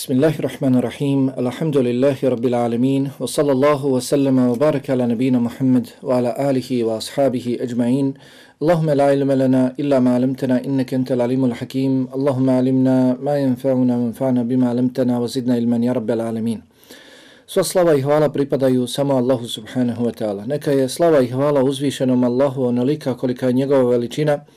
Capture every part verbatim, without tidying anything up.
Bismillahirrahmanirrahim. Alhamdulillahi rabbil alamin. Wa sallallahu wa sallama wa baraka ala nabina Muhammad wa ala alihi wa ashabihi ajma'in. Allahumma la ilma lana illa ma 'allamtana innaka antal alimul hakim. Allahumma 'allimna ma yanfa'una wanfa'na bima 'allamtana wa zidna ilman ya rabbal alamin. Sva slava i hvala pripadaju samo Allahu subhanahu wa ta'ala. Neka je slava i hvala uzvišenom Allahu onolika kolika je njegova veličina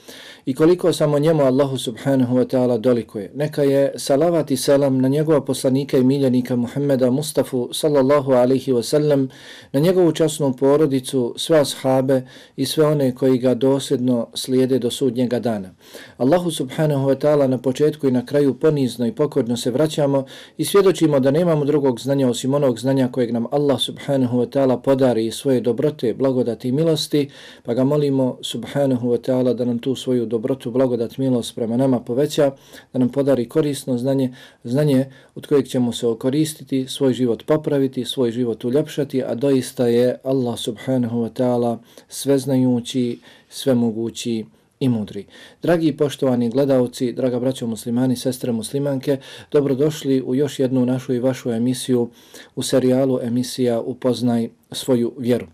i koliko samo njemu Allahu subhanahu wa ta'ala dolikuje. Neka je salavat i selam na njegova poslanika i miljenika Muhammeda Mustafa sallallahu alaihi wa sallam, na njegovu časnu porodicu, sve ashabe i sve one koji ga dosljedno slijede do sudnjega dana. Allahu subhanahu wa ta'ala na početku i na kraju ponizno i pokorno se vraćamo i svjedočimo da nemamo drugog znanja osim onog znanja kojeg nam Allah subhanahu wa ta'ala podari svoje dobrote, blagodati i milosti, pa ga molimo subhanahu wa ta'ala da nam tu svoju dobrotu, blagodat, milost prema nama poveća, da nam podari korisno znanje, znanje od kojeg ćemo se okoristiti, svoj život popraviti, svoj život uljepšati, a doista je Allah subhanahu wa ta'ala sveznajući, svemogući i mudri. Dragi i poštovani gledalci, draga braćo muslimani, sestre muslimanke, dobrodošli u još jednu našu i vašu emisiju u serijalu emisija Upoznaj svoju vjeru.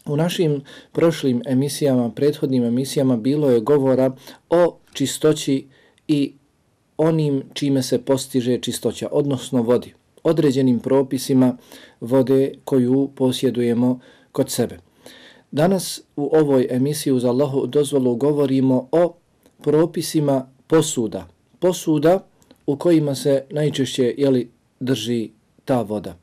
U našim prošlim emisijama, prethodnim emisijama bilo je govora o čistoći i onim čime se postiže čistoća, odnosno vodi, određenim propisima vode koju posjedujemo kod sebe. Danas u ovoj emisiji uz Allahu dozvolu govorimo o propisima posuda, posuda u kojima se najčešće jeli, drži ta voda.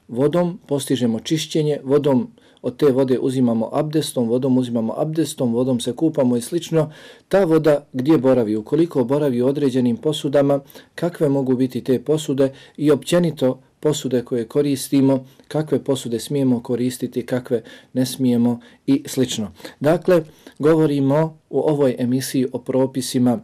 Vodom postižemo čišćenje, vodom od te vode uzimamo abdestom, vodom uzimamo abdestom, vodom se kupamo i slično. Ta voda gdje boravi, ukoliko boravi u određenim posudama, kakve mogu biti te posude i općenito posude koje koristimo, kakve posude smijemo koristiti, kakve ne smijemo i slično. Dakle, govorimo u ovoj emisiji o propisima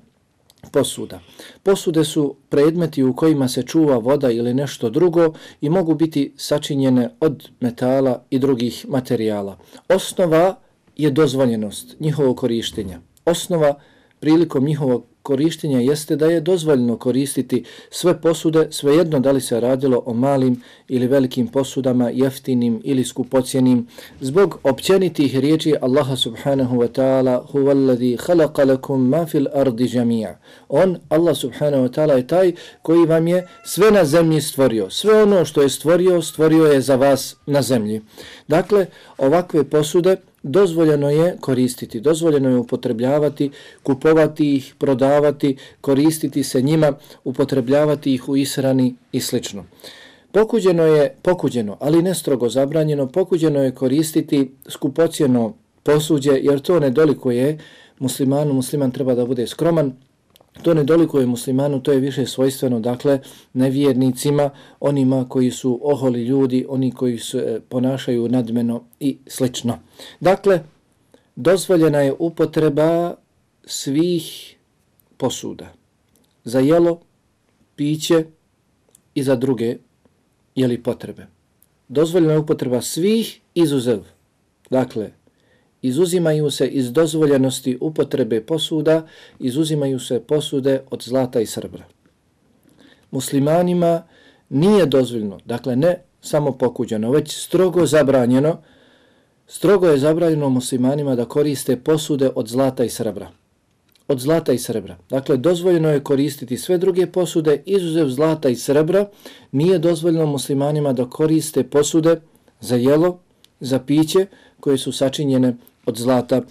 posuda. Posude su predmeti u kojima se čuva voda ili nešto drugo i mogu biti sačinjene od metala i drugih materijala. Osnova je dozvoljenost njihovog korištenja. Osnova prilikom njihovog korištenja jeste da je dozvoljeno koristiti sve posude, svejedno da li se radilo o malim ili velikim posudama, jeftinim ili skupocjenim, zbog općenitih riječi Allaha subhanahu wa ta'ala huvallazi khalaqa lakum ma fil ardi jami'a. On, Allah subhanahu wa ta'ala, je taj koji vam je sve na zemlji stvorio. Sve ono što je stvorio, stvorio je za vas na zemlji. Dakle, ovakve posude dozvoljeno je koristiti, dozvoljeno je upotrebljavati, kupovati ih, prodavati, koristiti se njima, upotrebljavati ih u ishrani i slično. Pokuđeno je, pokuđeno, ali ne strogo zabranjeno, pokuđeno je koristiti skupocjeno posuđe, jer to ne dolikuje muslimanu, musliman treba da bude skroman, to ne dolikuje muslimanu, to je više svojstveno, dakle, nevjernicima, onima koji su oholi ljudi, oni koji se ponašaju nadmeno i slično. Dakle, dozvoljena je upotreba svih posuda za jelo, piće i za druge jeli potrebe. Dozvoljena je upotreba svih izuzev. Dakle, izuzimaju se iz dozvoljenosti upotrebe posuda, izuzimaju se posude od zlata i srebra. Muslimanima nije dozvoljeno, dakle ne samo pokuđeno, već strogo zabranjeno, strogo je zabranjeno muslimanima da koriste posude od zlata i srebra. Od zlata i srebra. Dakle, dozvoljeno je koristiti sve druge posude, izuzev zlata i srebra, nije dozvoljeno muslimanima da koriste posude za jelo, za piće, koje su sačinjene od zlata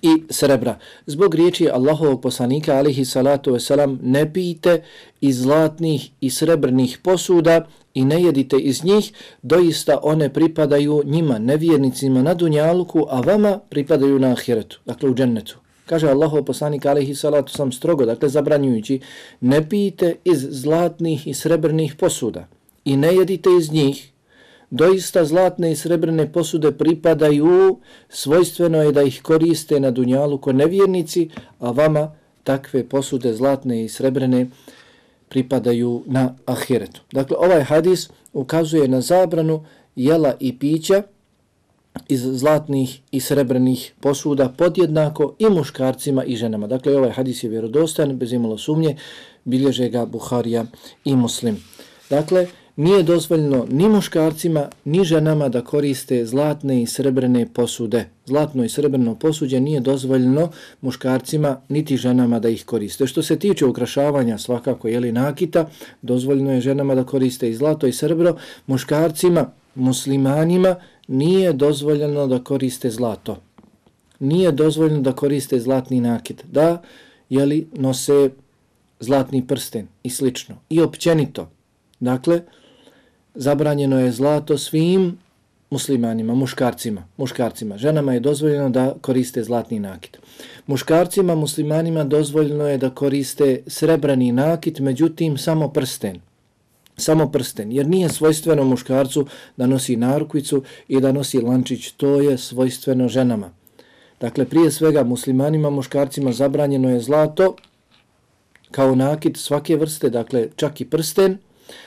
i srebra. Zbog riječi Allahovog poslanika alihi salatu wasalam, ne pijte iz zlatnih i srebrnih posuda i ne jedite iz njih, doista one pripadaju njima, nevjernicima na dunjaluku, a vama pripadaju na ahiretu, dakle u džennetu. Kaže Allahov poslanik alihi salatu wasalam strogo, dakle zabranjujući, ne pijte iz zlatnih i srebrnih posuda i ne jedite iz njih, doista zlatne i srebrne posude pripadaju, svojstveno je da ih koriste na dunjalu ko nevjernici, a vama takve posude zlatne i srebrne pripadaju na ahiretu. Dakle, ovaj hadis ukazuje na zabranu jela i pića iz zlatnih i srebrnih posuda podjednako i muškarcima i ženama. Dakle, ovaj hadis je vjerodostojan, bez imalo sumnje, bilježe ga Buharija i Muslim. Dakle, nije dozvoljeno ni muškarcima, ni ženama da koriste zlatne i srebrne posude. Zlatno i srebrno posuđe nije dozvoljeno muškarcima niti ženama da ih koriste. Što se tiče ukrašavanja svakako jeli nakita, dozvoljeno je ženama da koriste i zlato i srebro, muškarcima, muslimanima nije dozvoljeno da koriste zlato. Nije dozvoljeno da koriste zlatni nakit, da jeli nose zlatni prsten i slično. I općenito, dakle, zabranjeno je zlato svim muslimanima, muškarcima, muškarcima. Ženama je dozvoljeno da koriste zlatni nakit. Muškarcima, muslimanima dozvoljeno je da koriste srebrani nakit, međutim samo prsten. Samo prsten, jer nije svojstveno muškarcu da nosi narukvicu i da nosi lančić, to je svojstveno ženama. Dakle, prije svega muslimanima, muškarcima zabranjeno je zlato kao nakit svake vrste, dakle čak i prsten,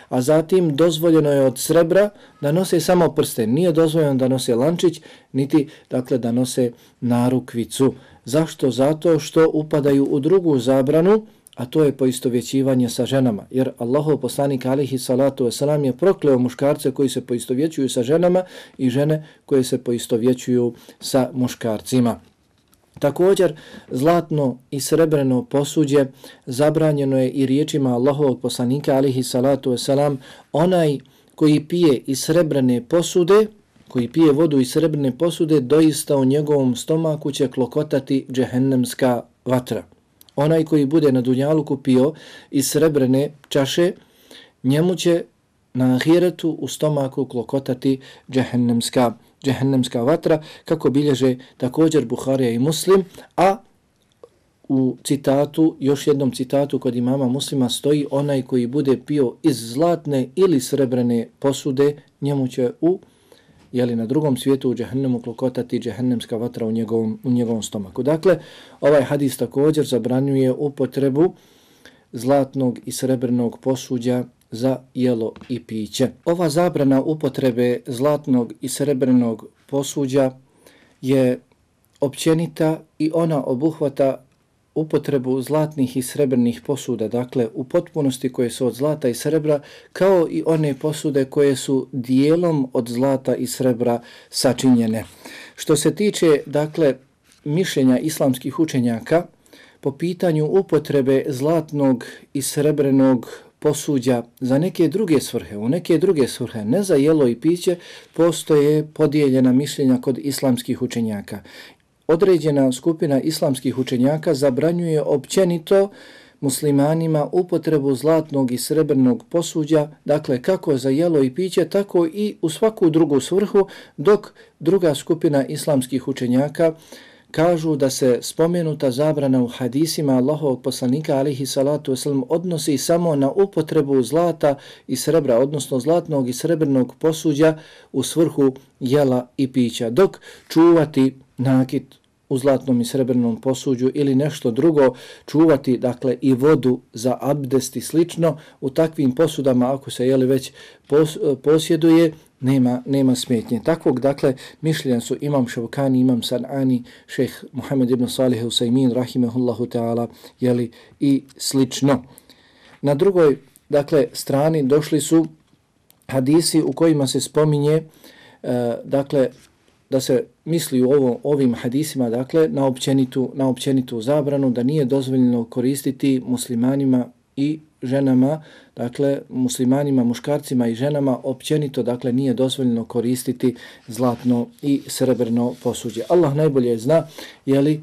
a zatim dozvoljeno je od srebra da nose samo prsten. Nije dozvoljeno da nose lančić, niti dakle da nose narukvicu. Zašto? Zato što upadaju u drugu zabranu, a to je poistovjećivanje sa ženama. Jer Allahov poslanik alihi salatu wasalam je prokleo muškarce koji se poistovjećuju sa ženama i žene koje se poistovjećuju sa muškarcima. Također, zlatno i srebreno posuđe zabranjeno je i riječima Allahovog poslanika alihi salatu wasalam, onaj koji pije iz srebrne posude, koji pije vodu iz srebrne posude, doista u njegovom stomaku će klokotati džehennemska vatra. Onaj koji bude na dunjaluku pio iz srebrne čaše, njemu će na ahiretu u stomaku klokotati džehennemska, džehennemska vatra, kako bilježe također Buharija i Muslim, a u citatu, još jednom citatu kod imama Muslima stoji onaj koji bude pio iz zlatne ili srebrne posude, njemu će u jeli na drugom svijetu u džehennemu klokotati džehennemska vatra u njegovom, u njegovom stomaku. Dakle, ovaj hadis također zabranjuje upotrebu zlatnog i srebrnog posuđa za jelo i piće. Ova zabrana upotrebe zlatnog i srebrnog posuđa je općenita i ona obuhvata upotrebu zlatnih i srebrnih posuda, dakle u potpunosti koje su od zlata i srebra, kao i one posude koje su dijelom od zlata i srebra sačinjene. Što se tiče, dakle, mišljenja islamskih učenjaka po pitanju upotrebe zlatnog i srebrnog posuđa za neke druge svrhe, u neke druge svrhe, ne za jelo i piće, postoje podijeljena mišljenja kod islamskih učenjaka. Određena skupina islamskih učenjaka zabranjuje općenito muslimanima upotrebu zlatnog i srebrnog posuđa, dakle kako za jelo i piće, tako i u svaku drugu svrhu, dok druga skupina islamskih učenjaka kažu da se spomenuta zabrana u hadisima Allahovog poslanika alihi salatu wasalam odnosi samo na upotrebu zlata i srebra, odnosno zlatnog i srebrnog posuđa u svrhu jela i pića, dok čuvati nakit u zlatnom i srebrnom posuđu ili nešto drugo, čuvati dakle i vodu za abdest i slično, u takvim posudama ako se jeli već pos, posjeduje, nema, nema smetnje. Takvog dakle mišljenja su imam Šavkani, imam Sanani, šejh Muhammed ibn Salih Usajmin, rahimehullahu ta'ala, jeli i slično. Na drugoj dakle strani došli su hadisi u kojima se spominje uh, dakle da se misli u ovo, ovim hadisima dakle na općenitu, na općenitu zabranu, da nije dozvoljeno koristiti muslimanima i ženama, dakle muslimanima, muškarcima i ženama općenito, dakle nije dozvoljeno koristiti zlatno i srebrno posuđe. Allah najbolje zna, jeli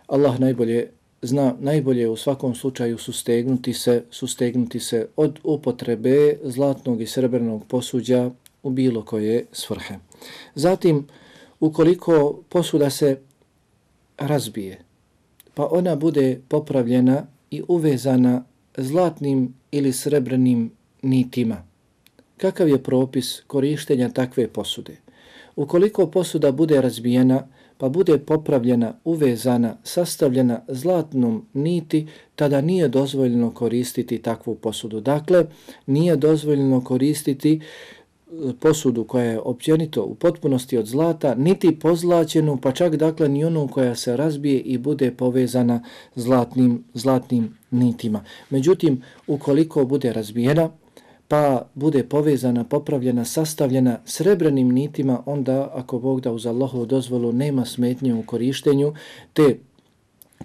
Allah najbolje zna, najbolje u svakom slučaju sustegnuti se, sustegnuti se od upotrebe zlatnog i srebrnog posuđa u bilo koje svrhe. Zatim, ukoliko posuda se razbije, pa ona bude popravljena i uvezana zlatnim ili srebrnim nitima, kakav je propis korištenja takve posude? Ukoliko posuda bude razbijena, pa bude popravljena, uvezana, sastavljena zlatnom niti, tada nije dozvoljeno koristiti takvu posudu. Dakle, nije dozvoljeno koristiti posudu koja je općenito u potpunosti od zlata, niti pozlaćenu, pa čak dakle ni onu koja se razbije i bude povezana zlatnim, zlatnim nitima. Međutim, ukoliko bude razbijena, pa bude povezana, popravljena, sastavljena srebrnim nitima, onda ako Bog da uz Allahovu dozvolu nema smetnje u korištenju te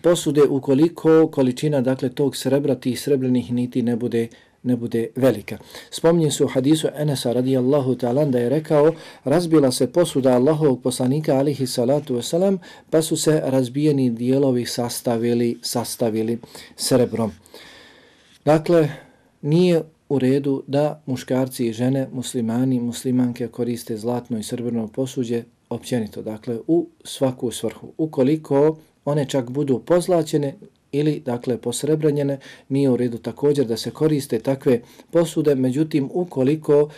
posude ukoliko količina dakle tog srebra, tih srebrnih niti ne bude ne bude velika. Spominje se u hadisu Enesa radijallahu ta'ala da je rekao: razbila se posuda Allahovog poslanika alihi salatu wasalam, pa su se razbijeni dijelovi sastavili, sastavili srebrom. Dakle, nije u redu da muškarci i žene, muslimani, muslimanke koriste zlatno i srebrno posuđe općenito, dakle u svaku svrhu. Ukoliko one čak budu pozlaćene ili dakle posrebranjene, nije u redu također da se koriste takve posude. Međutim, ukoliko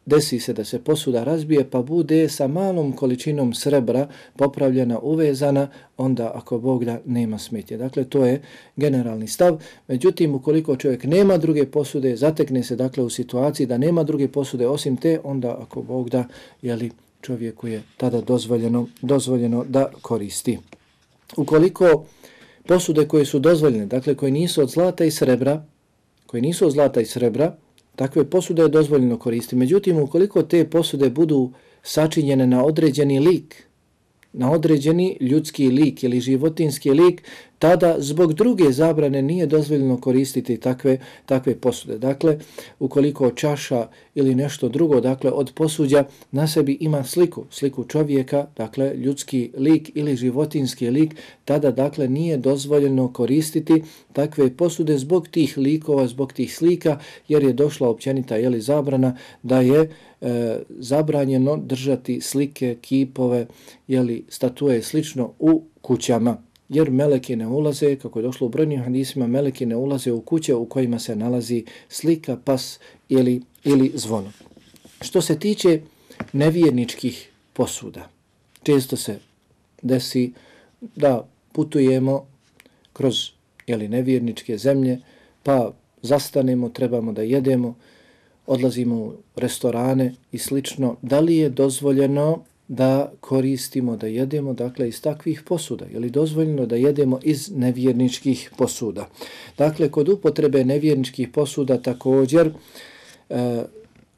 desi se da se posuda razbije pa bude sa malom količinom srebra popravljena, uvezana, onda ako Bog da nema smetje. Dakle, to je generalni stav. Međutim, ukoliko čovjek nema druge posude, zatekne se dakle u situaciji da nema druge posude osim te, onda ako Bog da, jeli, čovjeku je tada dozvoljeno, dozvoljeno da koristi. Ukoliko posude koje su dozvoljene, dakle koje nisu od zlata i srebra, koje nisu od zlata i srebra, takve posude je dozvoljeno koristiti. Međutim, ukoliko te posude budu sačinjene na određeni lik, na određeni ljudski lik ili životinski lik, tada zbog druge zabrane nije dozvoljeno koristiti takve, takve posude. Dakle, ukoliko čaša ili nešto drugo, dakle od posuđa na sebi ima sliku, sliku čovjeka, dakle ljudski lik ili životinski lik, tada dakle nije dozvoljeno koristiti takve posude zbog tih likova, zbog tih slika, jer je došla općenita jeli, zabrana da je e, zabranjeno držati slike, kipove, jeli, statue slično u kućama. Jer meleki ne ulaze, kako je došlo u brojnim hadisima, meleki ne ulaze u kuće u kojima se nalazi slika, pas ili, ili zvono. Što se tiče nevjerničkih posuda, često se desi da putujemo kroz jeli, nevjerničke zemlje, pa zastanemo, trebamo da jedemo, odlazimo u restorane i slično. Da li je dozvoljeno da koristimo, da jedemo, dakle, iz takvih posuda? Je li dozvoljeno da jedemo iz nevjerničkih posuda? Dakle, kod upotrebe nevjerničkih posuda također e,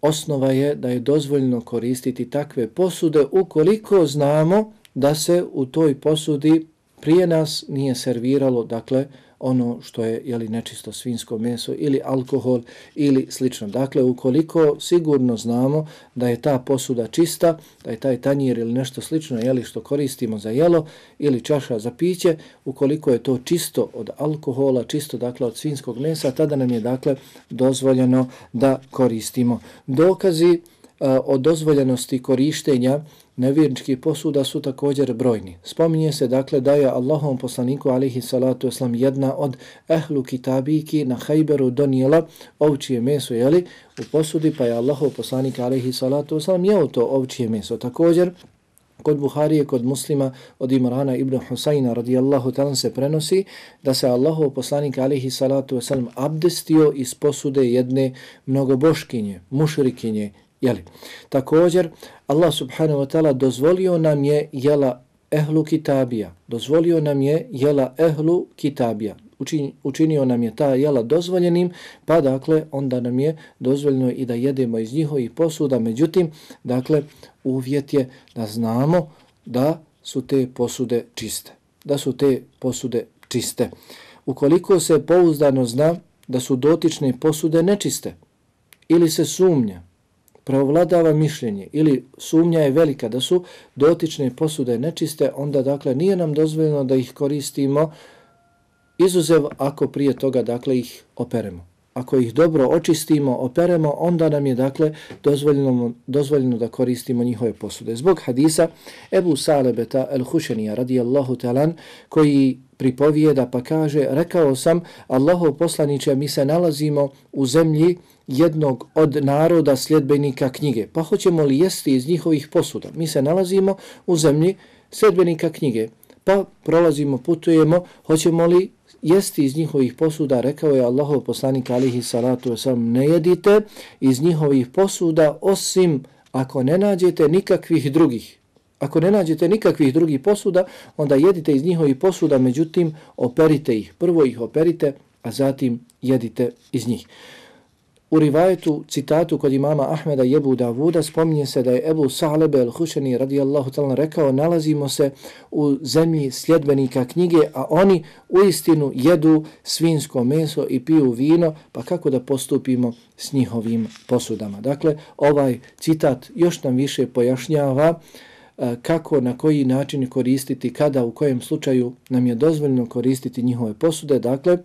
osnova je da je dozvoljeno koristiti takve posude ukoliko znamo da se u toj posudi prije nas nije serviralo, dakle, ono što je jeli, nečisto svinjsko meso ili alkohol ili slično. Dakle, ukoliko sigurno znamo da je ta posuda čista, da je taj tanjir ili nešto slično jeli, što koristimo za jelo ili čaša za piće, ukoliko je to čisto od alkohola, čisto dakle od svinjskog mesa, tada nam je dakle dozvoljeno da koristimo. Dokazi a, o dozvoljenosti korištenja nevjerničkih posuda su također brojni. Spominje se dakle da je Allahovom poslaniku alihi salatu wasalam jedna od ehlu kitabiki na Hajberu donijela ovčije meso jeli, u posudi, pa je Allahov poslanik alihi salatu wasalam jeo to ovčije meso. Također kod Buharije, kod Muslima, od Imrana ibn Husayna radijallahu ta'ala se prenosi da se Allahov poslanik alihi salatu wasalam abdestio iz posude jedne mnogoboškinje, mušrikinje. Jeli. Također, Allah subhanahu wa ta'ala dozvolio nam je jela ehlu kitabija. Dozvolio nam je jela ehlu kitabija. Učin, učinio nam je ta jela dozvoljenim, pa dakle, onda nam je dozvoljeno i da jedemo iz njihovih posuda. Međutim, dakle, uvjet je da znamo da su te posude čiste. Da su te posude čiste. Ukoliko se pouzdano zna da su dotične posude nečiste ili se sumnja, preovladava mišljenje ili sumnja je velika da su dotične posude nečiste, onda dakle nije nam dozvoljeno da ih koristimo, izuzev ako prije toga dakle ih operemo. Ako ih dobro očistimo, operemo, onda nam je dakle dozvoljeno, dozvoljeno da koristimo njihove posude. Zbog hadisa Ebu Salebeta el-Hušenija radijallahu ta'ala koji pripovijeda pa kaže: rekao sam, Allahov poslaniče, mi se nalazimo u zemlji jednog od naroda sljedbenika knjige, pa hoćemo li jesti iz njihovih posuda? Mi se nalazimo u zemlji sljedbenika knjige, pa prolazimo, putujemo, hoćemo li jesti iz njihovih posuda? Rekao je Allahov poslanik alihi salatu wasalam: ne jedite iz njihovih posuda osim ako ne nađete nikakvih drugih. Ako ne nađete nikakvih drugih posuda, onda jedite iz njihovih posuda, međutim operite ih. Prvo ih operite, a zatim jedite iz njih. u rivajetu, citatu kod imama Ahmeda i Ebu Davuda spominje se da je Ebu Sa'lebe al-Hušani radijallahu ta'ala rekao: nalazimo se u zemlji sljedbenika knjige, a oni uistinu jedu svinjsko meso i piju vino, pa kako da postupimo s njihovim posudama. Dakle, ovaj citat još nam više pojašnjava kako, na koji način koristiti, kada, u kojem slučaju nam je dozvoljeno koristiti njihove posude. Dakle,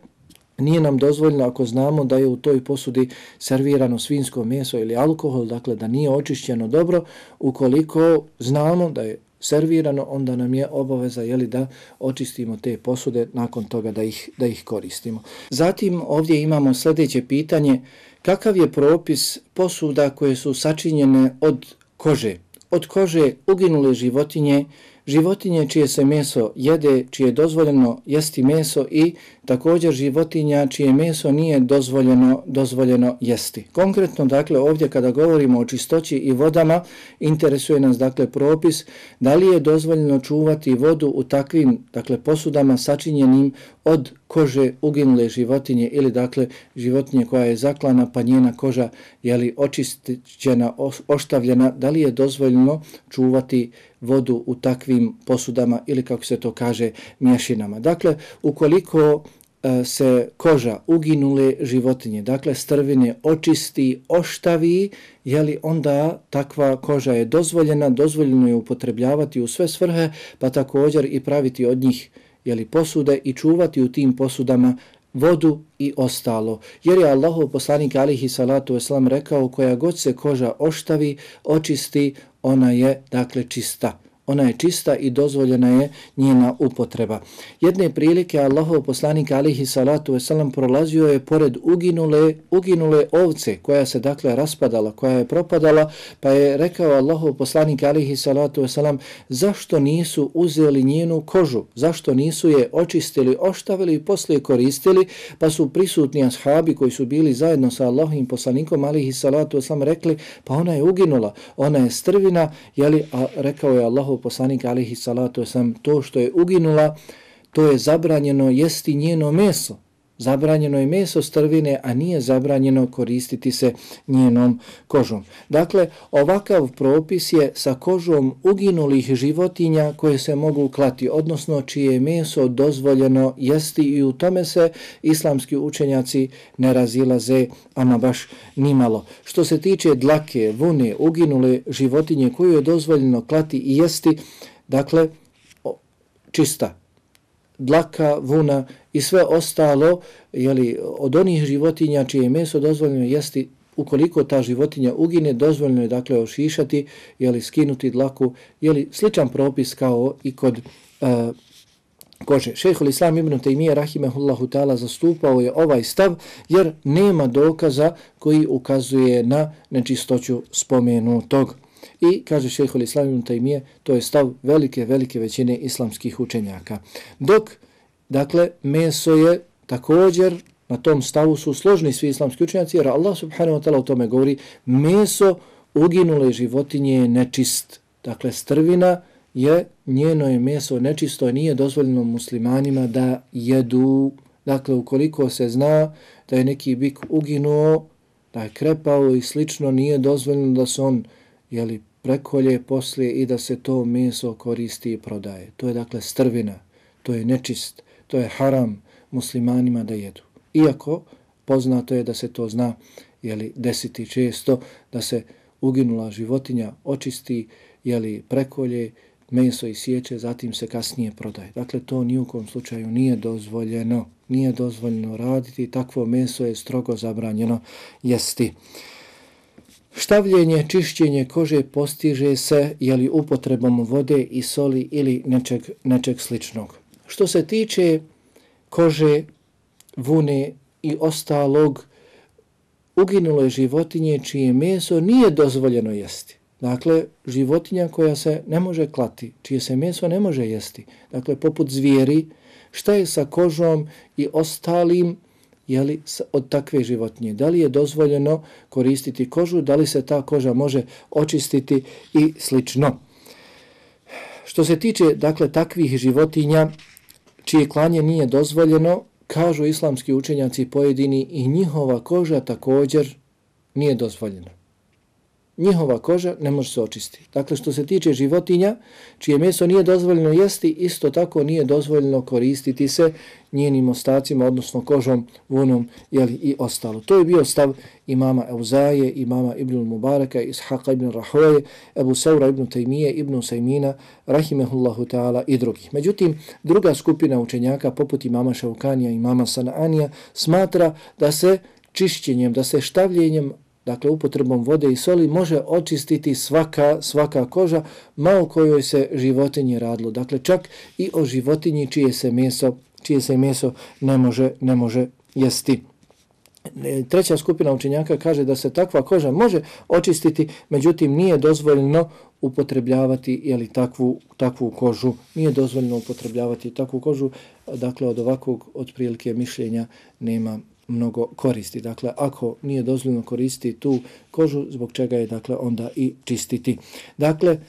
nije nam dozvoljeno ako znamo da je u toj posudi servirano svinjsko meso ili alkohol, dakle da nije očišćeno dobro. Ukoliko znamo da je servirano, onda nam je obaveza, jeli, da očistimo te posude, nakon toga da ih, da ih koristimo. Zatim ovdje imamo sljedeće pitanje: kakav je propis posuda koje su sačinjene od kože? Od kože uginule životinje, životinje čije se meso jede, čije je dozvoljeno jesti meso, i također životinja čije meso nije dozvoljeno, dozvoljeno jesti. Konkretno, dakle, ovdje kada govorimo o čistoći i vodama, interesuje nas, dakle, propis da li je dozvoljeno čuvati vodu u takvim, dakle, posudama sačinjenim od kože uginule životinje, ili, dakle, životinje koja je zaklana pa njena koža, jeli, očišćena, oštavljena, da li je dozvoljeno čuvati vodu u takvim posudama ili, kako se to kaže, mješinama. Dakle, ukoliko e, se koža uginule životinje, dakle strvine, očisti, oštavi, jeli, onda takva koža je dozvoljena, dozvoljeno je upotrebljavati u sve svrhe, pa također i praviti od njih, jeli, posude i čuvati u tim posudama vodu i ostalo. Jer je Allahov poslanik alihi salatu wasalam rekao: koja god se koža oštavi, očisti, ona je, dakle, čista. Ona je čista i dozvoljena je njena upotreba. Jedne prilike Allahov poslanik alihi salatu wasalam prolazio je pored uginule, uginule ovce koja se, dakle, raspadala, koja je propadala, pa je rekao Allahov poslanik alihi salatu wasalam: zašto nisu uzeli njenu kožu? Zašto nisu je očistili, oštavili i poslije koristili? Pa su prisutni ashabi koji su bili zajedno sa Allahovim poslanikom alihi salatu wasalam rekli: pa ona je uginula, ona je strvina, jeli, a rekao je Allahov poslanik alihi salatu wasalam: to što je uginula, to je zabranjeno jesti njeno meso. Zabranjeno je meso strvine, a nije zabranjeno koristiti se njenom kožom. Dakle, ovakav propis je sa kožom uginulih životinja koje se mogu klati, odnosno čije je meso dozvoljeno jesti, i u tome se islamski učenjaci ne razilaze ama baš nimalo. Što se tiče dlake, vune, uginule životinje koju je dozvoljeno klati i jesti, dakle, čista dlaka, vuna i sve ostalo, jeli, od onih životinja čije je meso dozvoljeno jesti, ukoliko ta životinja ugine, dozvoljeno je, dakle, ošišati, jeli, skinuti dlaku, jeli, sličan propis kao i kod uh, kože. Šejhul Islam ibn Tejmije rahimehullahu ta'ala zastupao je ovaj stav jer nema dokaza koji ukazuje na nečistoću spomenutog. I kaže šejhul Islam ibn Tejmije, to je stav velike, velike većine islamskih učenjaka. Dok, dakle, meso je također, na tom stavu su složni svi islamski učenjaci, jer Allah subhanahu wa ta'ala o tome govori: meso uginule životinje je nečist. Dakle, strvina je, njeno je meso nečisto, nije dozvoljeno muslimanima da jedu. Dakle, ukoliko se zna da je neki bik uginuo, da je krepao i slično, nije dozvoljeno da se on, jeli, prekolje poslije i da se to meso koristi i prodaje. To je, dakle, strvina, to je nečist, to je haram muslimanima da jedu. Iako poznato je da se to zna, jeli, desiti često, da se uginula životinja očisti, jeli, prekolje, meso isječe, zatim se kasnije prodaje. Dakle, to ni u kom slučaju nije dozvoljeno. Nije dozvoljeno raditi, takvo meso je strogo zabranjeno jesti. Štavljenje, čišćenje kože postiže se, jeli, upotrebom vode i soli ili nečeg, nečeg sličnog. Što se tiče kože, vune i ostalog, uginule životinje čije meso nije dozvoljeno jesti. Dakle, životinja koja se ne može klati, čije se meso ne može jesti. Dakle, poput zvijeri, šta je sa kožom i ostalim, jeli, od takve životinje? Da li je dozvoljeno koristiti kožu, da li se ta koža može očistiti i slično. Što se tiče, dakle, takvih životinja čije klanje nije dozvoljeno, kažu islamski učenjaci pojedini, i njihova koža također nije dozvoljeno. Njihova koža ne može se očistiti. Dakle, što se tiče životinja, čije meso nije dozvoljeno jesti, isto tako nije dozvoljeno koristiti se njenim ostacima, odnosno kožom, vunom jeli, i ostalo. To je bio stav imama Euzaje, imama Ibn Mubaraka, Ishaqa ibn Rahoje, Ebu Saura ibn Tejmije, ibn Usajmina, rahimehullahu ta'ala i drugih. Međutim, druga skupina učenjaka, poput imama Šaukanija, imama Sananija, smatra da se čišćenjem, da se štavljenjem, dakle upotrebom vode i soli, može očistiti svaka, svaka koža, ma o kojoj se životinji radilo. Dakle, čak i o životinji čije se meso, čije se meso ne može, ne može jesti. Treća skupina učenjaka kaže da se takva koža može očistiti, međutim nije dozvoljeno upotrebljavati jeli, takvu, takvu kožu. Nije dozvoljeno upotrebljavati takvu kožu, dakle od ovakvog otprilike mišljenja nema mnogo koristi. Dakle, ako nije dozvoljeno koristiti tu kožu, zbog čega je dakle onda i čistiti. Dakle, e,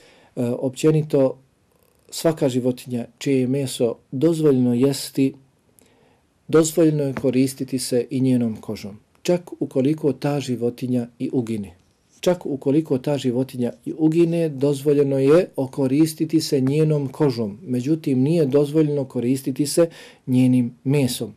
općenito svaka životinja čije je meso dozvoljeno jesti, dozvoljeno je koristiti se i njenom kožom. Čak ukoliko ta životinja i ugine. Čak ukoliko ta životinja i ugine, dozvoljeno je okoristiti se njenom kožom. Međutim, nije dozvoljeno koristiti se njenim mesom.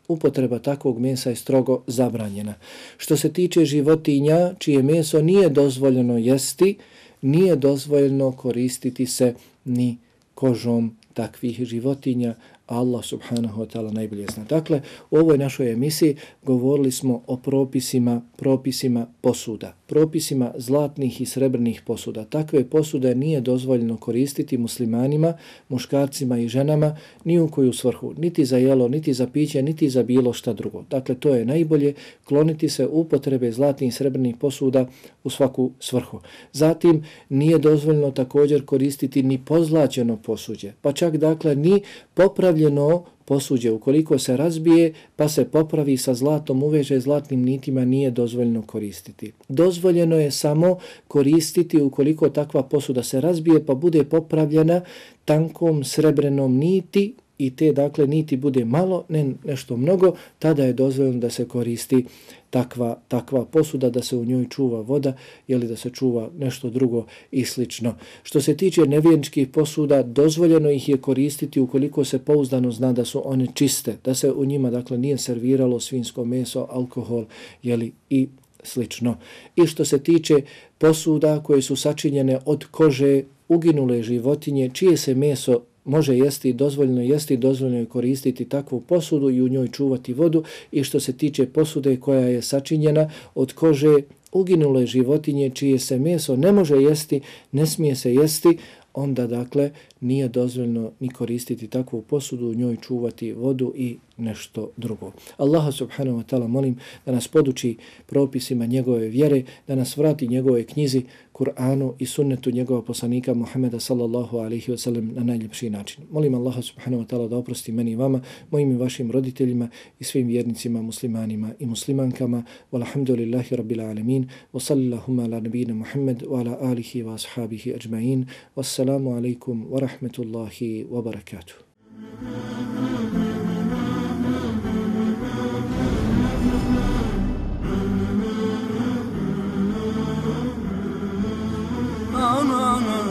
Upotreba takvog mesa je strogo zabranjena. Što se tiče životinja čije meso nije dozvoljeno jesti, nije dozvoljeno koristiti se ni kožom takvih životinja. Allah subhanahu wa ta'ala najbolje zna. Dakle, u ovoj našoj emisiji govorili smo o propisima, propisima posuda, propisima zlatnih i srebrnih posuda. Takve posude nije dozvoljeno koristiti muslimanima, muškarcima i ženama ni u koju svrhu, niti za jelo, niti za piće, niti za bilo šta drugo. Dakle, to je najbolje, kloniti se upotrebe zlatnih i srebrnih posuda u svaku svrhu. Zatim, nije dozvoljeno također koristiti ni pozlaćeno posuđe, pa čak dakle ni popravljeno posuđe, ukoliko se razbije pa se popravi sa zlatom, uveže zlatnim nitima, nije dozvoljeno koristiti. Dozvoljeno je samo koristiti ukoliko takva posuda se razbije pa bude popravljena tankom srebrenom niti i te dakle niti bude malo, ne nešto mnogo, tada je dozvoljeno da se koristi takva, takva posuda, da se u njoj čuva voda ili da se čuva nešto drugo i slično. Što se tiče nevjerničkih posuda, dozvoljeno ih je koristiti ukoliko se pouzdano zna da su one čiste, da se u njima dakle nije serviralo svinjsko meso, alkohol jeli, i slično. I što se tiče posuda koje su sačinjene od kože uginule životinje, čije se meso može jesti, dozvoljeno jesti, dozvoljeno je koristiti takvu posudu i u njoj čuvati vodu. I što se tiče posude koja je sačinjena od kože uginule životinje čije se meso ne može jesti, ne smije se jesti, onda dakle nije dozvoljeno ni koristiti takvu posudu, u njoj čuvati vodu i nešto drugo. Allaha subhanahu wa ta'ala molim da nas poduči propisima njegove vjere, da nas vrati njegove knjizi, Kur'anu i sunnetu njegova poslanika Muhammeda sallallahu alaihi wa sallam na najljepši način. Molim Allaha subhanahu wa ta'ala da oprosti meni i vama, mojim i vašim roditeljima i svim vjernicima, muslimanima i muslimankama. Walhamdulillahi rabbil alamin. Wa sallillahumma ala nabina Muhammad wa ala alihi wa ashabihi ajma'in. Wassalamu alaikum wa rahmatullahi wa barakatuh. No, no, no.